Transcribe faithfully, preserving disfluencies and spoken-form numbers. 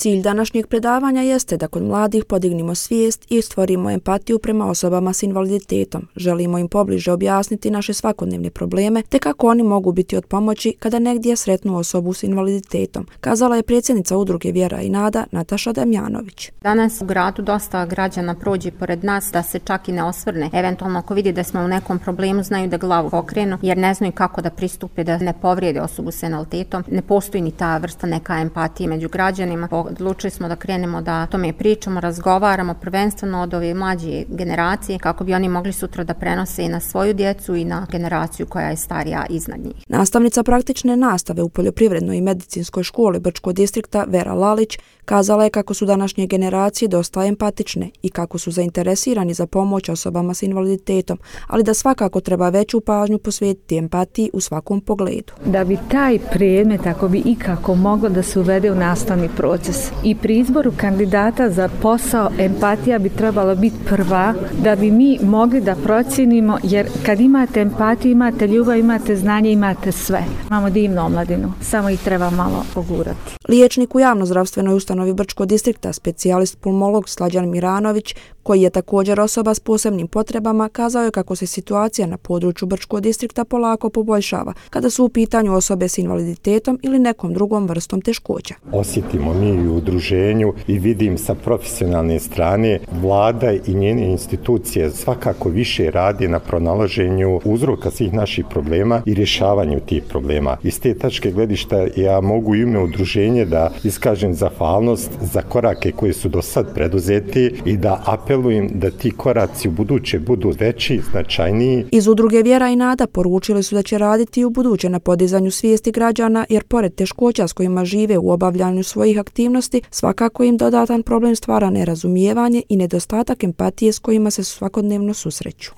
Cilj današnjeg predavanja jeste da kod mladih podignimo svijest i stvorimo empatiju prema osobama s invaliditetom. Želimo im pobliže objasniti naše svakodnevne probleme te kako oni mogu biti od pomoći kada negdje sretnu osobu s invaliditetom, kazala je predsjednica udruge Vjera i nada Nataša Damjanović. Danas u gradu dosta građana prođe pored nas da se čak i ne osvrne. Eventualno ako vidi da smo u nekom problemu znaju da glavu pokrenu jer ne znaju kako da pristupe da ne povrijede osobu s invaliditetom. Ne postoji ni ta vrsta neka empatije među građanima. Odlučili smo da krenemo da tome pričamo, razgovaramo prvenstveno od ove mlađe generacije kako bi oni mogli sutra da prenose i na svoju djecu i na generaciju koja je starija iznad njih. Nastavnica praktične nastave u Poljoprivrednoj i medicinskoj školi Brčkog distrikta Vera Lalić kazala je kako su današnje generacije dosta empatične i kako su zainteresirani za pomoć osobama s invaliditetom, ali da svakako treba veću pažnju posvetiti empatiji u svakom pogledu. Da bi taj predmet, ako bi ikako moglo da se uvede u nastavni proces i pri izboru kandidata za posao, empatija bi trebala biti prva da bi mi mogli da procijenimo, jer kad imate empatiju, imate ljubav, imate znanje, imate sve. Imamo divnu omladinu, samo ih treba malo pogurati. Liječnik u javnozdravstvenoj ustanovi Brčkog distrikta, specijalist pulmolog Slađan Miranović, koji je također osoba s posebnim potrebama, kazao je kako se situacija na području Brčkog distrikta polako poboljšava kada su u pitanju osobe s invaliditetom ili nekom drugom vrstom teškoća. Osjetimo mi u udruženju i vidim sa profesionalne strane vlada i njene institucije svakako više radi na pronalaženju uzroka svih naših problema i rješavanju tih problema. Iz te tačke gledišta ja mogu ime udruženje da iskažem zahvalnost za korake koji su do sad preduzeti i da apelujem da ti koraci u buduće budu veći, značajniji. Iz udruge Vjera i nada poručili su da će raditi i u buduće na podizanju svijesti građana, jer pored teškoća s kojima žive u obavljanju svojih aktivnosti, svakako im dodatan problem stvara nerazumijevanje i nedostatak empatije s kojima se svakodnevno susreću.